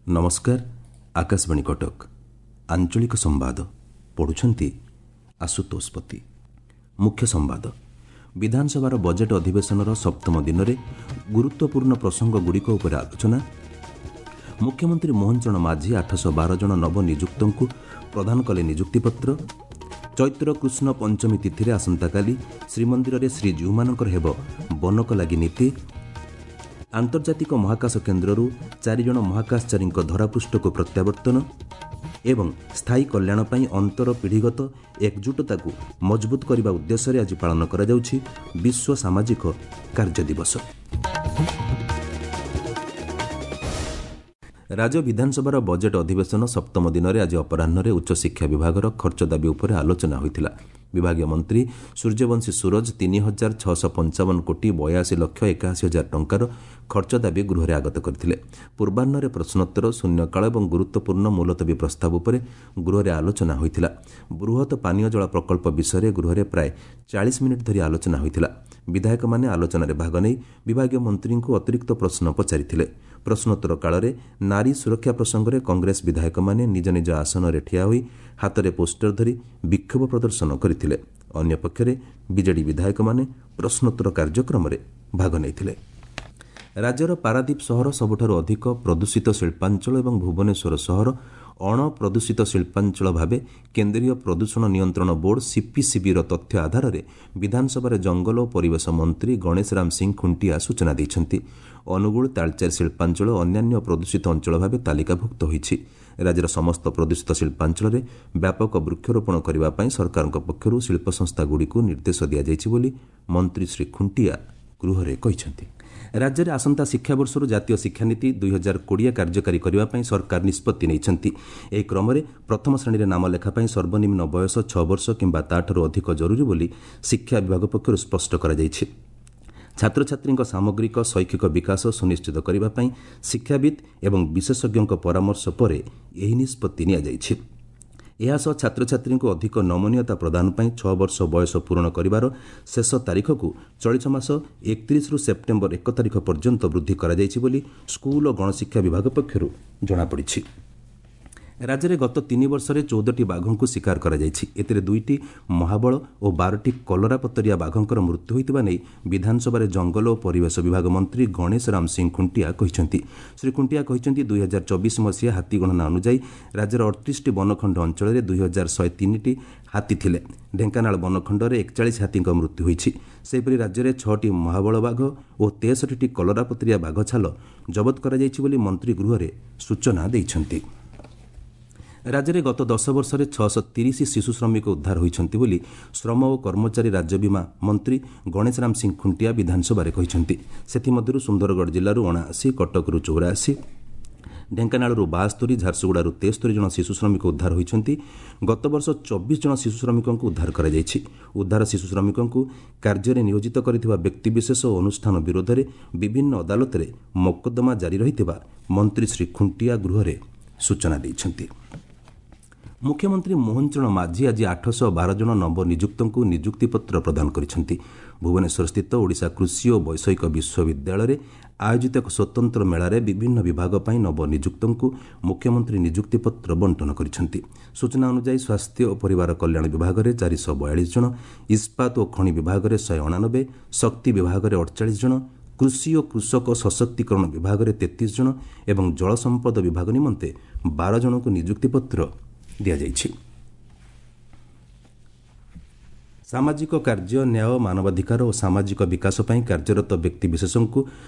ନମସ୍କାର, ଆକାଶବାଣୀ କଟକ। ଆଞ୍ଚଳିକ ସମ୍ବାଦ ପଢ଼ୁଛନ୍ତି ଆଶୁତୋଷ ପତି। ମୁଖ୍ୟ ସମ୍ବାଦ। ବିଧାନସଭାର ବଜେଟ୍ ଅଧିବେଶନର ସପ୍ତମ ଦିନରେ ଗୁରୁତ୍ୱପୂର୍ଣ୍ଣ ପ୍ରସଙ୍ଗଗୁଡ଼ିକ ଉପରେ ଆଲୋଚନା। ମୁଖ୍ୟମନ୍ତ୍ରୀ ମୋହନ ଚରଣ ମାଝୀ 812 ଜଣ ନବନିଯୁକ୍ତଙ୍କୁ ପ୍ରଦାନ କଲେ ନିଯୁକ୍ତିପତ୍ର। ଚୈତ୍ର କୃଷ୍ଣ ପଞ୍ଚମୀ ତିଥିରେ ଆସନ୍ତାକାଲି ଶ୍ରୀମନ୍ଦିରରେ ଶ୍ରୀଜୀଉମାନଙ୍କର ହେବ ବନକ ଲାଗି ନୀତି। ଆନ୍ତର୍ଜାତିକ ମହାକାଶ କେନ୍ଦ୍ରରୁ 4 ଜଣ ମହାକାଶଚାରୀଙ୍କ ଧରାପୃଷ୍ଠକୁ ପ୍ରତ୍ୟାବର୍ତ୍ତନ ଏବଂ ସ୍ଥାୟୀ କଲ୍ୟାଣ ପାଇଁ ଅନ୍ତର ପିଢ଼ିଗତ ଏକଜୁଟତାକୁ ମଜବୁତ କରିବା ଉଦ୍ଦେଶ୍ୟରେ ଆଜି ପାଳନ କରାଯାଉଛି ବିଶ୍ୱ ସାମାଜିକ କାର୍ଯ୍ୟ ଦିବସ। ରାଜ୍ୟ ବିଧାନସଭାର ବଜେଟ୍ ଅଧିବେଶନ ସପ୍ତମ ଦିନରେ ଆଜି ଅପରାହ୍ନରେ ଉଚ୍ଚଶିକ୍ଷା ବିଭାଗର ଖର୍ଚ୍ଚ ଦାବି ଉପରେ ଆଲୋଚନା ହୋଇଥିଲା। ବିଭାଗୀୟ ମନ୍ତ୍ରୀ ସୂର୍ଯ୍ୟବଂଶୀ ସୂରଜ 3655 କୋଟି 82 ଲକ୍ଷ 81 ହଜାର ଟଙ୍କାର ଖର୍ଚ୍ଚ ଦାବି ଗୃହରେ ଆଗତ କରିଥିଲେ। ପୂର୍ବାହ୍ନରେ ପ୍ରଶ୍ନୋତ୍ତର, ଶୂନ୍ୟକାଳ ଏବଂ ଗୁରୁତ୍ୱପୂର୍ଣ୍ଣ ମୁଲତବୀ ପ୍ରସ୍ତାବ ଉପରେ ଗୃହରେ ଆଲୋଚନା ହୋଇଥିଲା। ବୃହତ ପାନୀୟ ଜଳ ପ୍ରକଳ୍ପ ବିଷୟରେ ଗୃହରେ ପ୍ରାୟ 40 ମିନିଟ୍ ଧରି ଆଲୋଚନା ହୋଇଥିଲା। ବିଧାୟକମାନେ ଆଲୋଚନାରେ ଭାଗ ନେଇ ବିଭାଗୀୟ ମନ୍ତ୍ରୀଙ୍କୁ ଅତିରିକ୍ତ ପ୍ରଶ୍ନ ପଚାରିଥିଲେ। ପ୍ରଶ୍ନୋତ୍ତର କାଳରେ ନାରୀ ସୁରକ୍ଷା ପ୍ରସଙ୍ଗରେ କଂଗ୍ରେସ ବିଧାୟକମାନେ ନିଜ ନିଜ ଆସନରେ ଠିଆ ହୋଇ ହାତରେ ପୋଷ୍ଟର ଧରି ବିକ୍ଷୋଭ ପ୍ରଦର୍ଶନ କରିଥିଲେ। ଅନ୍ୟପକ୍ଷରେ ବିଜେଡି ବିଧାୟକମାନେ ପ୍ରଶ୍ନୋତ୍ତର କାର୍ଯ୍ୟକ୍ରମରେ ଭାଗ ନେଇଥିଲେ। ରାଜ୍ୟର ପାରାଦୀପ ସହର ସବୁଠାରୁ ଅଧିକ ପ୍ରଦୂଷିତ ଶିଳ୍ପାଞ୍ଚଳ ଏବଂ ଭୁବନେଶ୍ୱର ସହର ଅଣପ୍ରଦୂଷିତ ଶିଳ୍ପାଞ୍ଚଳ ଭାବେ କେନ୍ଦ୍ରୀୟ ପ୍ରଦୂଷଣ ନିୟନ୍ତ୍ରଣ ବୋର୍ଡ ସିପିସିବିର ତଥ୍ୟ ଆଧାରରେ ବିଧାନସଭାରେ ଜଙ୍ଗଲ ଓ ପରିବେଶ ମନ୍ତ୍ରୀ ଗଣେଶ ରାମ ସିଂ ଖୁଣ୍ଟିଆ ସୂଚନା ଦେଇଛନ୍ତି। ଅନୁଗୁଳ, ତାଳଚେର ଶିଳ୍ପାଞ୍ଚଳ ଅନ୍ୟାନ୍ୟ ପ୍ରଦୂଷିତ ଅଞ୍ଚଳ ଭାବେ ତାଲିକାଭୁକ୍ତ ହୋଇଛି। ରାଜ୍ୟର ସମସ୍ତ ପ୍ରଦୂଷିତ ଶିଳ୍ପାଞ୍ଚଳରେ ବ୍ୟାପକ ବୃକ୍ଷରୋପଣ କରିବା ପାଇଁ ସରକାରଙ୍କ ପକ୍ଷରୁ ଶିଳ୍ପ ସଂସ୍ଥାଗୁଡ଼ିକୁ ନିର୍ଦ୍ଦେଶ ଦିଆଯାଇଛି ବୋଲି ମନ୍ତ୍ରୀ ଶ୍ରୀ ଖୁଣ୍ଟିଆ ଗୃହରେ କହିଛନ୍ତି। ରାଜ୍ୟରେ ଆସନ୍ତା ଶିକ୍ଷାବର୍ଷରୁ ଜାତୀୟ ଶିକ୍ଷାନୀତି 2020 କାର୍ଯ୍ୟକାରୀ କରିବା ପାଇଁ ସରକାର ନିଷ୍ପତ୍ତି ନେଇଛନ୍ତି। ଏହି କ୍ରମରେ ପ୍ରଥମ ଶ୍ରେଣୀରେ ନାମ ଲେଖା ପାଇଁ ସର୍ବନିମ୍ନ ବୟସ 6 ବର୍ଷ କିମ୍ବା ତା'ଠାରୁ ଅଧିକ ଜରୁରୀ ବୋଲି ଶିକ୍ଷା ବିଭାଗ ପକ୍ଷରୁ ସ୍ପଷ୍ଟ କରାଯାଇଛି। ଛାତ୍ରଛାତ୍ରୀଙ୍କ ସାମଗ୍ରିକ ଶୈକ୍ଷିକ ବିକାଶ ସୁନିଶ୍ଚିତ କରିବା ପାଇଁ ଶିକ୍ଷାବିତ୍ ଏବଂ ବିଶେଷଜ୍ଞଙ୍କ ପରାମର୍ଶ ପରେ ଏହି ନିଷ୍ପତ୍ତି ନିଆଯାଇଛି। ଏହାସହ ଛାତ୍ରଛାତ୍ରୀଙ୍କୁ ଅଧିକ ନମନୀୟତା ପ୍ରଦାନ ପାଇଁ 6 ବର୍ଷ ବୟସ ପୂରଣ କରିବାର ଶେଷ ତାରିଖକୁ ଚଳିତ ମାସ 31ରୁ ସେପ୍ଟେମ୍ବର 1 ତାରିଖ ପର୍ଯ୍ୟନ୍ତ ବୃଦ୍ଧି କରାଯାଇଛି ବୋଲି ସ୍କୁଲ ଓ ଗଣଶିକ୍ଷା ବିଭାଗ ପକ୍ଷରୁ ଜଣାପଡ଼ିଛି। ରାଜ୍ୟରେ ଗତ 3 ବର୍ଷରେ 14ଟି ବାଘଙ୍କୁ ଶିକାର କରାଯାଇଛି। ଏଥିରେ 2ଟି ମହାବଳ ଓ 12ଟି କଲରାପତରିଆ ବାଘଙ୍କର ମୃତ୍ୟୁ ହୋଇଥିବା ନେଇ ବିଧାନସଭାରେ ଜଙ୍ଗଲ ଓ ପରିବେଶ ବିଭାଗ ମନ୍ତ୍ରୀ ଗଣେଶ ରାମ ସିଂ ଖୁଣ୍ଟିଆ କହିଛନ୍ତି। ଶ୍ରୀ ଖୁଣ୍ଟିଆ କହିଛନ୍ତି, 2024 ମସିହା ହାତୀ ଗଣନା ଅନୁଯାୟୀ ରାଜ୍ୟର 38ଟି ବନଖଣ୍ଡ ଅଞ୍ଚଳରେ 2103ଟି ହାତୀ ଥିଲେ। ଢେଙ୍କାନାଳ ବନଖଣ୍ଡରେ 41 ହାତୀଙ୍କ ମୃତ୍ୟୁ ହୋଇଛି। ସେହିପରି ରାଜ୍ୟରେ 6ଟି ମହାବଳ ବାଘ ଓ 63ଟି କଲରାପତରିଆ ବାଘ ଛାଲ ଜବତ କରାଯାଇଛି ବୋଲି ମନ୍ତ୍ରୀ ଗୃହରେ ସୂଚନା ଦେଇଛନ୍ତି। ରାଜ୍ୟରେ ଗତ 10 ବର୍ଷରେ 630 ଶିଶୁ ଶ୍ରମିକ ଉଦ୍ଧାର ହୋଇଛନ୍ତି ବୋଲି ଶ୍ରମ ଓ କର୍ମଚାରୀ ରାଜ୍ୟ ବୀମା ମନ୍ତ୍ରୀ ଗଣେଶ ରାମ ସିଂ ଖୁଣ୍ଟିଆ ବିଧାନସଭାରେ କହିଛନ୍ତି। ସେଥିମଧ୍ୟରୁ ସୁନ୍ଦରଗଡ଼ ଜିଲ୍ଲାରୁ 79, କଟକରୁ 84, ଢେଙ୍କାନାଳରୁ 72, ଝାରସୁଗୁଡ଼ାରୁ 73 ଜଣ ଶିଶୁ ଶ୍ରମିକ ଉଦ୍ଧାର ହୋଇଛନ୍ତି। ଗତବର୍ଷ 24 ଜଣ ଶିଶୁ ଶ୍ରମିକଙ୍କୁ ଉଦ୍ଧାର କରାଯାଇଛି। ଉଦ୍ଧାର ଶିଶୁ ଶ୍ରମିକଙ୍କୁ କାର୍ଯ୍ୟରେ ନିୟୋଜିତ କରିଥିବା ବ୍ୟକ୍ତିବିଶେଷ ଓ ଅନୁଷ୍ଠାନ ବିରୋଧରେ ବିଭିନ୍ନ ଅଦାଲତରେ ମକଦ୍ଦମା ଜାରି ରହିଥିବା ମନ୍ତ୍ରୀ ଶ୍ରୀ ଖୁଣ୍ଟିଆ ଗୃହରେ ସୂଚନା ଦେଇଛନ୍ତି। ମୁଖ୍ୟମନ୍ତ୍ରୀ ମୋହନ ଚରଣ ମାଝୀ ଆଜି 812 ଜଣ ନବନିଯୁକ୍ତଙ୍କୁ ନିଯୁକ୍ତିପତ୍ର ପ୍ରଦାନ କରିଛନ୍ତି। ଭୁବନେଶ୍ୱରସ୍ଥିତ ଓଡ଼ିଶା କୃଷି ଓ ବୈଷୟିକ ବିଶ୍ୱବିଦ୍ୟାଳୟରେ ଆୟୋଜିତ ଏକ ସ୍ୱତନ୍ତ୍ର ମେଳାରେ ବିଭିନ୍ନ ବିଭାଗ ପାଇଁ ନବନିଯୁକ୍ତଙ୍କୁ ମୁଖ୍ୟମନ୍ତ୍ରୀ ନିଯୁକ୍ତିପତ୍ର ବଣ୍ଟନ କରିଛନ୍ତି। ସୂଚନା ଅନୁଯାୟୀ ସ୍ୱାସ୍ଥ୍ୟ ଓ ପରିବାର କଲ୍ୟାଣ ବିଭାଗରେ 442 ଜଣ, ଇସ୍ପାତ ଓ ଖଣି ବିଭାଗରେ 189, ଶକ୍ତି ବିଭାଗରେ 48 ଜଣ, କୃଷି ଓ କୃଷକ ସଶକ୍ତିକରଣ ବିଭାଗରେ 33 ଜଣ ଏବଂ ଜଳସମ୍ପଦ ବିଭାଗ ନିମନ୍ତେ 12 ଜଣଙ୍କୁ ନିଯୁକ୍ତିପତ୍ର ଦିଆଯାଇଛି। ସାମାଜିକ କାର୍ଯ୍ୟ, ନ୍ୟାୟ, ମାନବାଧିକାର ଓ ସାମାଜିକ ବିକାଶ ପାଇଁ କାର୍ଯ୍ୟରତ ବ୍ୟକ୍ତିବିଶେଷଙ୍କୁ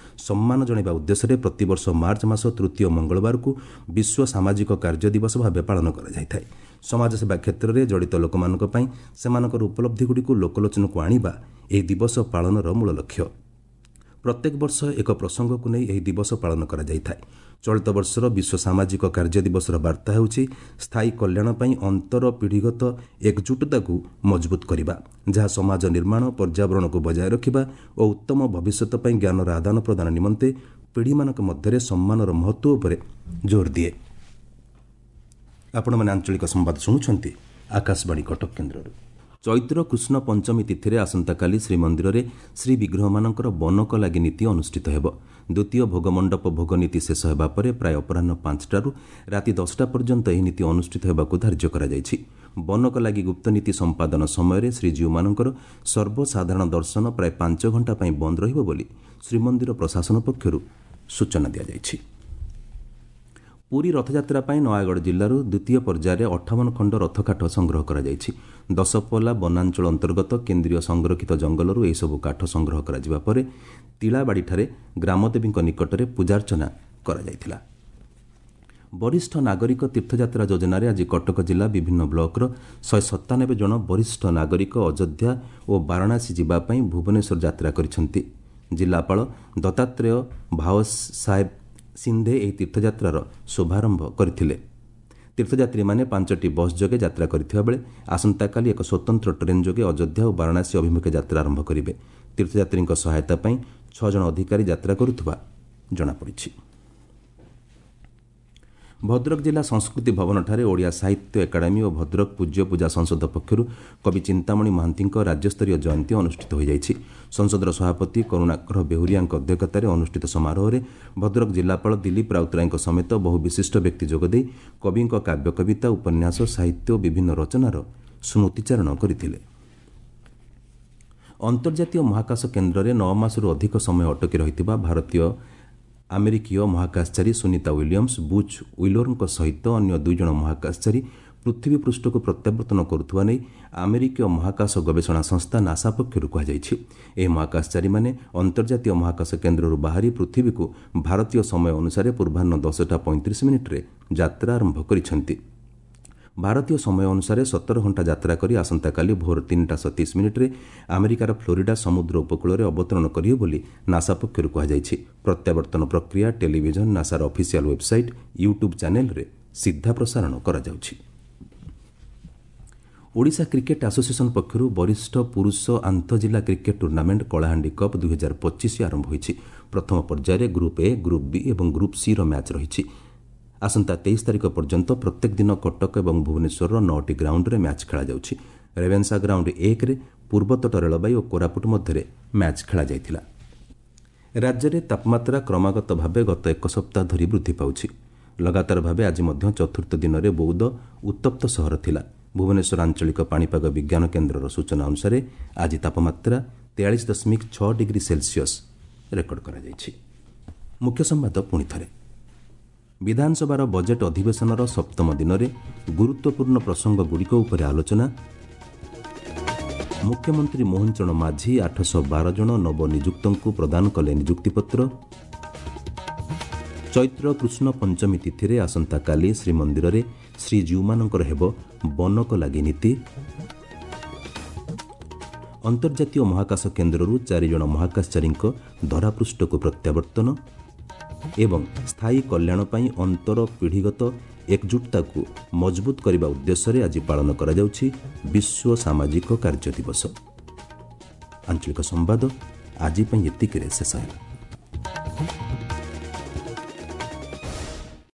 ସମ୍ମାନ ଜଣାଇବା ଉଦ୍ଦେଶ୍ୟରେ ପ୍ରତିବର୍ଷ ମାର୍ଚ୍ଚ ମାସ ତୃତୀୟ ମଙ୍ଗଳବାରକୁ ବିଶ୍ୱ ସାମାଜିକ କାର୍ଯ୍ୟ ଦିବସ ଭାବେ ପାଳନ କରାଯାଇଥାଏ। ସମାଜସେବା କ୍ଷେତ୍ରରେ ଜଡ଼ିତ ଲୋକମାନଙ୍କ ପାଇଁ ସେମାନଙ୍କର ଉପଲବ୍ଧିଗୁଡ଼ିକୁ ଲୋକଲୋଚନକୁ ଆଣିବା ଏହି ଦିବସ ପାଳନର ମୂଳ ଲକ୍ଷ୍ୟ। ପ୍ରତ୍ୟେକ ବର୍ଷ ଏକ ପ୍ରସଙ୍ଗକୁ ନେଇ ଏହି ଦିବସ ପାଳନ କରାଯାଇଥାଏ। ଚଳିତ ବର୍ଷର ବିଶ୍ୱ ସାମାଜିକ କାର୍ଯ୍ୟ ଦିବସର ବାର୍ତ୍ତା ହେଉଛି ସ୍ଥାୟୀ କଲ୍ୟାଣ ପାଇଁ ଅନ୍ତର ପିଢ଼ିଗତ ଏକଜୁଟତାକୁ ମଜବୁତ କରିବା, ଯାହା ସମାଜ ନିର୍ମାଣ, ପର୍ଯ୍ୟାବରଣକୁ ବଜାୟ ରଖିବା ଓ ଉତ୍ତମ ଭବିଷ୍ୟତ ପାଇଁ ଜ୍ଞାନର ଆଦାନ ପ୍ରଦାନ ନିମନ୍ତେ ପିଢ଼ିମାନଙ୍କ ମଧ୍ୟରେ ସମ୍ମାନର ମହତ୍ତ୍ୱ ଉପରେ ଜୋର ଦିଏ। ଆପଣମାନେ ଆଞ୍ଚଳିକ ସମ୍ବାଦ ଶୁଣୁଛନ୍ତି ଆକାଶବାଣୀ କଟକ କେନ୍ଦ୍ରରୁ। ଚୈତ୍ର କୃଷ୍ଣ ପଞ୍ଚମୀ ତିଥିରେ ଆସନ୍ତାକାଲି ଶ୍ରୀମନ୍ଦିରରେ ଶ୍ରୀବିଗ୍ରହମାନଙ୍କର ବନକ ଲାଗି ନୀତି ଅନୁଷ୍ଠିତ ହେବ। ଦ୍ୱିତୀୟ ଭୋଗମଣ୍ଡପ ଭୋଗ ନୀତି ଶେଷ ହେବା ପରେ ପ୍ରାୟ ଅପରାହ୍ନ 5ଟାରୁ ରାତି 10ଟା ପର୍ଯ୍ୟନ୍ତ ଏହି ନୀତି ଅନୁଷ୍ଠିତ ହେବାକୁ ଧାର୍ଯ୍ୟ କରାଯାଇଛି। ବନକ ଲାଗି ଗୁପ୍ତ ନୀତି ସମ୍ପାଦନ ସମୟରେ ଶ୍ରୀଜୀଉମାନଙ୍କର ସର୍ବସାଧାରଣ ଦର୍ଶନ ପ୍ରାୟ 5 ଘଣ୍ଟା ପାଇଁ ବନ୍ଦ ରହିବ ବୋଲି ଶ୍ରୀମନ୍ଦିର ପ୍ରଶାସନ ପକ୍ଷରୁ ସୂଚନା ଦିଆଯାଇଛି। ପୁରୀ ରଥଯାତ୍ରା ପାଇଁ ନୟାଗଡ଼ ଜିଲ୍ଲାରୁ ଦ୍ୱିତୀୟ ପର୍ଯ୍ୟାୟରେ 58 ଖଣ୍ଡ ରଥକାଠ ସଂଗ୍ରହ କରାଯାଇଛି। ଦଶପଲ୍ଲା ବନାଞ୍ଚଳ ଅନ୍ତର୍ଗତ କେନ୍ଦ୍ରୀୟ ସଂରକ୍ଷିତ ଜଙ୍ଗଲରୁ ଏହିସବୁ କାଠ ସଂଗ୍ରହ କରାଯିବା ପରେ ତିଳାବାଡ଼ିଠାରେ ଗ୍ରାମଦେବୀଙ୍କ ନିକଟରେ ପୂଜାର୍ଚ୍ଚନା କରାଯାଇଥିଲା। ବରିଷ୍ଠ ନାଗରିକ ତୀର୍ଥଯାତ୍ରା ଯୋଜନାରେ ଆଜି କଟକ ଜିଲ୍ଲା ବିଭିନ୍ନ ବ୍ଲକର 197 ଜଣ ବରିଷ୍ଠ ନାଗରିକ ଅଯୋଧ୍ୟା ଓ ବାରାଣାସୀ ଯିବା ପାଇଁ ଭୁବନେଶ୍ୱର ଯାତ୍ରା କରିଛନ୍ତି। ଜିଲ୍ଲାପାଳ ଦତ୍ତାତ୍ରେୟ ଭାଓ ସାହେବ ସିନ୍ଧେ ଏହି ତୀର୍ଥଯାତ୍ରାର ଶୁଭାରମ୍ଭ କରିଥିଲେ। ତୀର୍ଥଯାତ୍ରୀମାନେ 5ଟି ବସ୍ ଯୋଗେ ଯାତ୍ରା କରିଥିବା ବେଳେ ଆସନ୍ତାକାଲି ଏକ ସ୍ୱତନ୍ତ୍ର ଟ୍ରେନ୍ ଯୋଗେ ଅଯୋଧ୍ୟା ଓ ବାରାଣାସୀ ଅଭିମୁଖେ ଯାତ୍ରା ଆରମ୍ଭ କରିବେ। ତୀର୍ଥଯାତ୍ରୀଙ୍କ ସହାୟତା ପାଇଁ 6 ଜଣ ଅଧିକାରୀ ଯାତ୍ରା କରୁଥିବା ଜଣାପଡ଼ିଛି। ଭଦ୍ରକ ଜିଲ୍ଲା ସଂସ୍କୃତି ଭବନଠାରେ ଓଡ଼ିଆ ସାହିତ୍ୟ ଏକାଡେମୀ ଓ ଭଦ୍ରକ ପୂଜ୍ୟ ପୂଜା ସଂସଦ ପକ୍ଷରୁ କବି ଚିନ୍ତାମଣି ମହାନ୍ତିଙ୍କ ରାଜ୍ୟସ୍ତରୀୟ ଜୟନ୍ତୀ ଅନୁଷ୍ଠିତ ହୋଇଯାଇଛି। ସଂସଦର ସଭାପତି କରୁଣାକର ବେହୁରିଆଙ୍କ ଅଧ୍ୟକ୍ଷତାରେ ଅନୁଷ୍ଠିତ ସମାରୋହରେ ଭଦ୍ରକ ଜିଲ୍ଲାପାଳ ଦିଲ୍ଲୀପ ରାଉତରାୟଙ୍କ ସମେତ ବହୁ ବିଶିଷ୍ଟ ବ୍ୟକ୍ତି ଯୋଗଦେଇ କବିଙ୍କ କାବ୍ୟ, କବିତା, ଉପନ୍ୟାସ, ସାହିତ୍ୟ ଓ ବିଭିନ୍ନ ରଚନାର ସ୍ମୃତିଚାରଣ କରିଥିଲେ। ଅନ୍ତର୍ଜାତୀୟ ମହାକାଶ କେନ୍ଦ୍ରରେ 9 ମାସରୁ ଅଧିକ ସମୟ ଅଟକି ରହିଥିବା ଭାରତୀୟ ଆମେରିକୀୟ ମହାକାଶଚାରୀ ସୁନିତା ୱିଲିୟମ୍ସ, ବୁଚ୍ ୱିଲୋରଙ୍କ ସହିତ ଅନ୍ୟ 2 ଜଣ ମହାକାଶଚାରୀ ପୃଥିବୀ ପୃଷ୍ଠକୁ ପ୍ରତ୍ୟାବର୍ତ୍ତନ କରୁଥିବା ନେଇ ଆମେରିକୀୟ ମହାକାଶ ଗବେଷଣା ସଂସ୍ଥା ନାସା ପକ୍ଷରୁ କୁହାଯାଇଛି। ଏହି ମହାକାଶଚାରୀମାନେ ଅନ୍ତର୍ଜାତୀୟ ମହାକାଶ କେନ୍ଦ୍ରରୁ ବାହାରି ପୃଥିବୀକୁ ଭାରତୀୟ ସମୟ ଅନୁସାରେ ପୂର୍ବାହ୍ନ 10ଟା 35 ମିନିଟ୍ରେ ଯାତ୍ରା ଆରମ୍ଭ କରିଛନ୍ତି। ଭାରତୀୟ ସମୟ ଅନୁସାରେ 17 ଘଣ୍ଟା ଯାତ୍ରା କରି ଆସନ୍ତାକାଲି ଭୋର 3ଟା 27 ମିନିଟ୍ରେ ଆମେରିକାର ଫ୍ଲୋରିଡା ସମୁଦ୍ର ଉପକୂଳରେ ଅବତରଣ କରିବେ ବୋଲି ନାସା ପକ୍ଷରୁ କୁହାଯାଇଛି। ପ୍ରତ୍ୟାବର୍ତ୍ତନ ପ୍ରକ୍ରିୟା ଟେଲିଭିଜନ, ନାସାର ଅଫିସିଆଲ ୱେବ୍ସାଇଟ୍, ୟୁଟ୍ୟୁବ୍ ଚ୍ୟାନେଲରେ ସିଧା ପ୍ରସାରଣ କରାଯାଉଛି। ଓଡ଼ିଶା କ୍ରିକେଟ୍ ଆସୋସିଏସନ୍ ପକ୍ଷରୁ ବରିଷ୍ଠ ପୁରୁଷ ଆନ୍ତଃଜିଲ୍ଲା କ୍ରିକେଟ୍ ଟୁର୍ଣ୍ଣାମେଣ୍ଟ କଳାହାଣ୍ଡି କପ୍ 2025 ଆରମ୍ଭ ହୋଇଛି। ପ୍ରଥମ ପର୍ଯ୍ୟାୟରେ ଗ୍ରୁପ୍ ଏ, ଗ୍ରୁପ୍ ବି ଏବଂ ଗ୍ରୁପ୍ ସିର ମ୍ୟାଚ୍ ରହିଛି। ଆସନ୍ତା 23 ତାରିଖ ପର୍ଯ୍ୟନ୍ତ ପ୍ରତ୍ୟେକ ଦିନ କଟକ ଏବଂ ଭୁବନେଶ୍ୱରର 9ଟି ଗ୍ରାଉଣ୍ଡରେ ମ୍ୟାଚ୍ ଖେଳାଯାଉଛି। ରେଭେନ୍ସା ଗ୍ରାଉଣ୍ଡ 1ରେ ପୂର୍ବତଟ ରେଳବାଇ ଓ କୋରାପୁଟ ମଧ୍ୟରେ ମ୍ୟାଚ୍ ଖେଳାଯାଇଥିଲା। ରାଜ୍ୟରେ ତାପମାତ୍ରା କ୍ରମାଗତ ଭାବେ ଗତ ଏକ ସପ୍ତାହ ଧରି ବୃଦ୍ଧି ପାଉଛି। ଲଗାତାର ଭାବେ ଆଜି ମଧ୍ୟ ଚତୁର୍ଥ ଦିନରେ ବୌଦ୍ଧ ଉତ୍ତପ୍ତ ସହର ଥିଲା। ଭୁବନେଶ୍ୱର ଆଞ୍ଚଳିକ ପାଣିପାଗ ବିଜ୍ଞାନ କେନ୍ଦ୍ରର ସୂଚନା ଅନୁସାରେ ଆଜି ତାପମାତ୍ରା 43.6 ଡିଗ୍ରୀ ସେଲସିୟସ୍ ରେକର୍ଡ କରାଯାଇଛି। ମୁଖ୍ୟ ସମ୍ବାଦ ପୁଣି ଥରେ। ବିଧାନସଭାର ବଜେଟ୍ ଅଧିବେଶନର ସପ୍ତମ ଦିନରେ ଗୁରୁତ୍ୱପୂର୍ଣ୍ଣ ପ୍ରସଙ୍ଗଗୁଡ଼ିକ ଉପରେ ଆଲୋଚନା। ମୁଖ୍ୟମନ୍ତ୍ରୀ ମୋହନ ଚରଣ ମାଝୀ 812 ଜଣ ନବନିଯୁକ୍ତଙ୍କୁ ପ୍ରଦାନ କଲେ ନିଯୁକ୍ତିପତ୍ର। ଚୈତ୍ର କୃଷ୍ଣ ପଞ୍ଚମୀ ତିଥିରେ ଆସନ୍ତାକାଲି ଶ୍ରୀମନ୍ଦିରରେ ଶ୍ରୀଜୀଉମାନଙ୍କର ହେବ ବନକ ଲାଗି ନୀତି। ଅନ୍ତର୍ଜାତୀୟ ମହାକାଶ କେନ୍ଦ୍ରରୁ 4 ଜଣ ମହାକାଶଚାରୀଙ୍କ ଧରାପୃଷ୍ଠକୁ ପ୍ରତ୍ୟାବର୍ତ୍ତନ ଏବଂ ସ୍ଥାୟୀ କଲ୍ୟାଣ ପାଇଁ ଅନ୍ତର ପିଢ଼ିଗତ ଏକଜୁଟତାକୁ ମଜବୁତ କରିବା ଉଦ୍ଦେଶ୍ୟରେ ଆଜି ପାଳନ କରାଯାଉଛି ବିଶ୍ୱ ସାମାଜିକ କାର୍ଯ୍ୟ ଦିବସ। ଆଞ୍ଚଳିକ ସମ୍ବାଦ ଆଜି ପାଇଁ ଏତିକିରେ ଶେଷ ହେଲା।